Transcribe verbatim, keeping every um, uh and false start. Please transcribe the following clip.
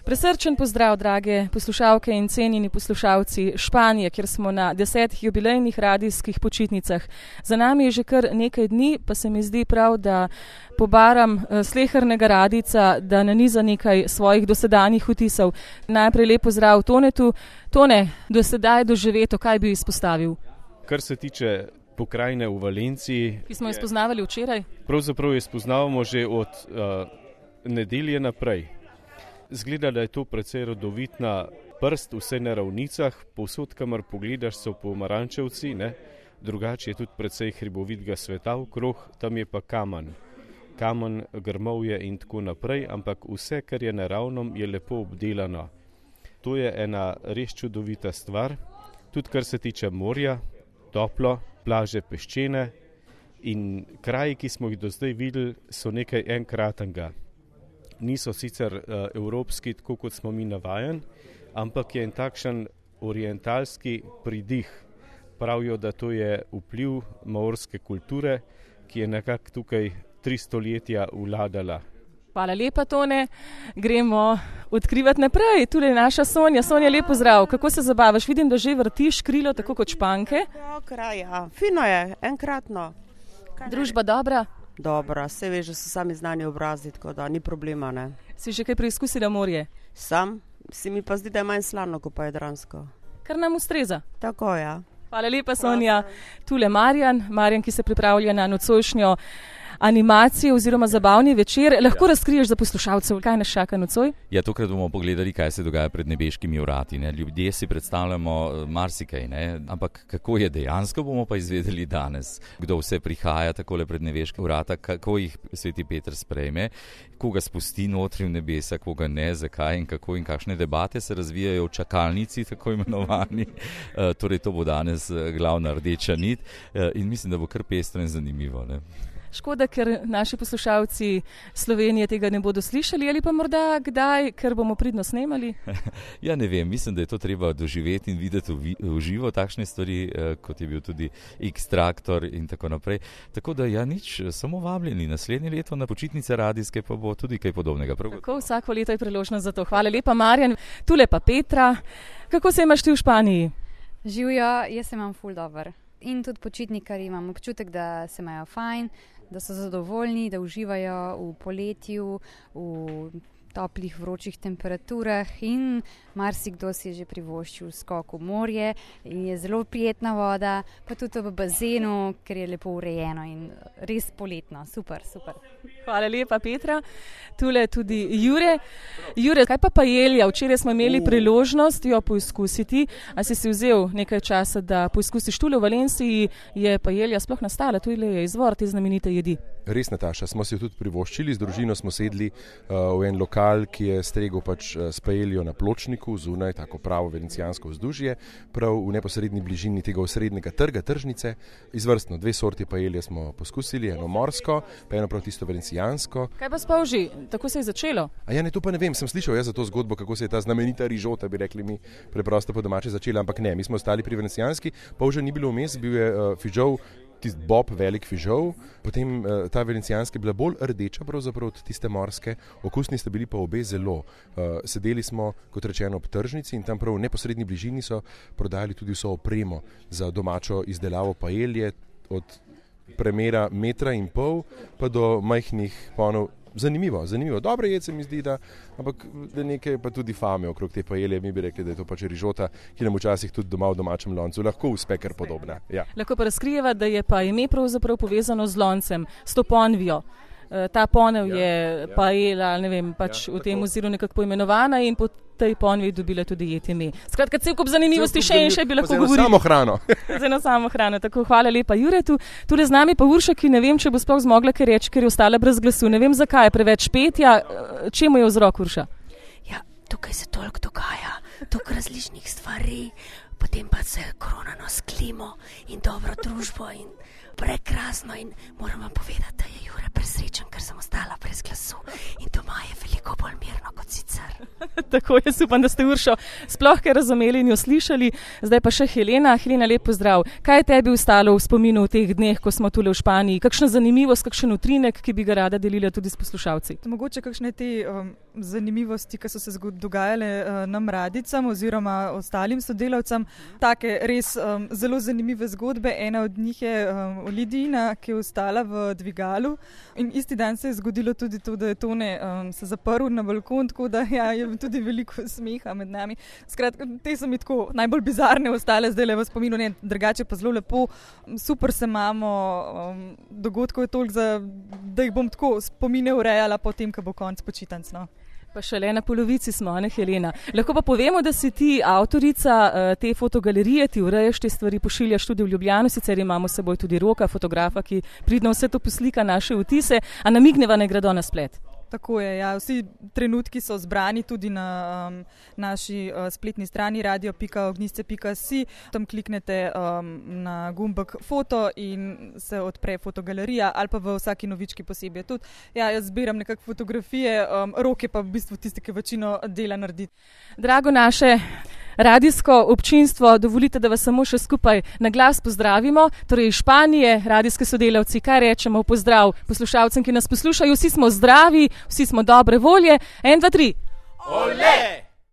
Presrčen pozdrav, drage poslušalke in cenjeni poslušalci Španije, kjer smo na desetih jubilejnih radijskih počitnicah. Za nami je že kar nekaj dni, pa se mi zdi prav, da pobaram slehernega radijca, da naniza nekaj svojih dosedanjih vtisov. Najprej lep pozdrav Tonetu. Tone, do sedaj doživeto, kaj bi izpostavil? Kar se tiče pokrajine v Valenciji, ki smo jo spoznavali včeraj? Pravzaprav jo spoznavamo že od uh, nedelje naprej. Zgleda, da je to precej rodovitna prst, vse na ravnicah, povsod, kamor pogledaš, so pomarančevci, ne? Drugače je tudi precej hribovitega sveta okrog, tam je pa kamen. Kamen, grmovje in tako naprej, ampak vse, kar je naravno, je lepo obdelano. To je ena res čudovita stvar, tudi kar se tiče morja, toplo, plaže peščene in kraji, ki smo jih do zdaj videli, so nekaj enkratnega. Niso sicer uh, evropski, tako kot smo mi navajen, ampak je en takšen orientalski pridih. Pravijo, da to je vpliv maorske kulture, ki je nekako tukaj tri stoletja vladala. Hvala lepa, Tone. Gremo odkrivati naprej. Tule je naša Sonja. Sonja, lep pozdrav. Kako se zabavaš? Vidim, da že vrtiš krilo, tako kot Španke. Ja, kraj, ja. Fino je, enkratno. Družba dobra? Dobra, se veš, že so sami znani obrazi, tako da ni problema, ne. Si že kaj preizkusila morje? Sam, si mi pa zdi, da je manj slano, kot pa jadransko. Kar nam ustreza. Tako, ja. Hvala lepa, Sonja. Tule Marjan, Marjan, ki se pripravlja na nocojšnjo animacijo oziroma zabavni večer. Lahko ja. razkriješ za poslušalcev, kaj nas čaka nocoj? Ja, tokrat bomo pogledali, kaj se dogaja pred nebeškimi vrati. Ne? Ljudje si predstavljamo marsikaj, ne? Ampak kako je dejansko, bomo pa izvedeli danes. Kdo vse prihaja takole pred nebeške vrata, kako jih sveti Peter sprejme, koga spusti notri v nebesa, koga ne, zakaj in kako in kakšne debate se razvijajo v čakalnici, tako imenovani. E, torej, to bo danes glavna rdeča nit e, in mislim, da bo kar pestro in zanimivo. Ne? Škoda, ker naši poslušalci Slovenije tega ne bodo slišali, ali pa morda kdaj, ker bomo pridno snemali? Ja, ne vem, mislim, da je to treba doživeti in videti v, v živo takšne stvari, eh, kot je bil tudi X-traktor in tako naprej. Tako da ja, nič, samo vabljeni. Naslednje leto na počitnice radijske pa bo tudi kaj podobnega. Prav tako, vsako leto je priložnost za to. Hvala lepa, Marjan. Tule pa Petra. Kako se imaš ti v Španiji? Živijo, jaz se imam ful dober. In tudi počitnikarji imam občutek, da se imajo fajn, da so zadovoljni, da uživajo v poletju, v toplih, vročih temperaturah in marsikdo si je že privoščil skok v morje in je zelo prijetna voda, pa tudi v bazenu, ker je lepo urejeno in res poletno. Super, super. Hvala lepa, Petra. Tule tudi Jure. Jure, kaj pa paelja? Včeraj smo imeli priložnost jo poizkusiti. A si si vzel nekaj časa, da poizkusiš tule v Valenciji? Je paelja sploh nastala? Tule je izvor te znamenite jedi. Res, Nataša, smo si jo tudi privoščili. Z družino smo sedli uh, v en lokal, ki je stregel pač uh, s paeljo na pločniku, zunaj, tako pravo venecijansko vzdužje, prav v neposredni bližini tega osrednjega trga, tržnice. Izvrstno, dve sorti paelje smo poskusili, eno morsko, pa eno prav tisto venecijansko. Kaj pa spolži? Tako se je začelo? A ja, ne, to pa ne vem, sem slišal jaz za to zgodbo, kako se je ta znamenita rižota, bi rekli mi, preprosto po domače začela, ampak ne, mi smo ostali pri venecijanski, polža ni bilo vmes, bil je uh, fižol, tisti bob, velik fižol, potem uh, ta venecijanska je bila bolj rdeča pravzaprav od tiste morske, okusni sta bili pa obe zelo. Uh, sedeli smo, kot rečeno, ob tržnici in tam prav v neposredni bližini so prodajali tudi vso opremo za domačo izdelavo paelje, od premera metra in pol pa do majhnih ponov. Zanimivo, zanimivo. Dobro jed se mi zdi, da, ampak da nekaj pa tudi fame okrog te paelje. Mi bi rekli, da je to pač rižota, ki nam včasih tudi doma v domačem loncu lahko uspe kar podobna. Ja. Lahko pa razkrijeva, da je pa ime pravzaprav povezano z loncem, s to ponvijo. Ta ponev ja, je ja. paela, ne vem, pač ja, v tem oziru nekako poimenovana in po tej ponvi dobila tudi jed ime. Skratka, cel kup zanimivosti še in še bi lahko govorili. Z eno samo hrano. Z eno samo hrano. Tako, hvala lepa Juretu. Tule z nami pa Urša, ki ne vem, če bo sploh zmogla kaj reči, ker je ostala brez glasu. Ne vem zakaj, preveč petja. Čemu je vzrok, Urša? Ja, tukaj se toliko dogaja, toliko različnih stvari, potem pa se koronano s klimo in dobro družbo in prekrasno in moram vam povedati, da je Jure presrečen, ker sem ostala brez glasu in doma je veliko bolj mirno kot sicer. Tako, jaz upam, da ste Uršo sploh kaj razumeli in jo slišali. Zdaj pa še Helena. Helena, lep pozdrav. Kaj je tebi ostalo v spominu v teh dneh, ko smo tule v Španiji? Kakšna zanimivost, kakšen utrinek, ki bi ga rada delila tudi s poslušalci? Mogoče kakšne te um, zanimivosti, ki so se dogajale uh, nam radicam oziroma ostalim sodelavcem. Take res um, zelo zanimive zgodbe. Ena od njih je um, Lidija, ki je ostala v dvigalu in isti dan se je zgodilo tudi to, da je Tone um, se zaprl na balkon, tako da ja, je tudi veliko smeha med nami. Skratka, te so mi tako najbolj bizarne ostale, zdaj le v spominu, ne, drugače pa zelo lepo, super se imamo, um, dogodkov je toliko, za, da jih bom tako spomine urejala potem, ko bo konc počitnic, no. Pa šele na polovici smo, ne Helena. Lahko pa povemo, da si ti avtorica uh, te fotogalerije, ti urejaš te stvari, pošiljaš tudi v Ljubljano, sicer imamo s seboj tudi Roka, fotografa, ki pridno vse to poslika naše vtise, a namigneva ne gredo na splet. Tako je, ja. Vsi trenutki so zbrani tudi na um, naši uh, spletni strani radio pika ognjišče pika si. Tam kliknete um, na gumbek foto in se odpre fotogalerija ali pa v vsaki novički posebej. Tudi, ja, jaz zbiram nekak fotografije, um, Rok je pa v bistvu tisti, ki večino dela naredi. Drago naše radijsko občinstvo, dovolite, da vas samo še skupaj na glas pozdravimo. Torej iz Španije, radijske sodelavci, kaj rečemo v pozdrav poslušalcem, ki nas poslušajo. Vsi smo zdravi, vsi smo dobre volje. En, dva, tri. Ole!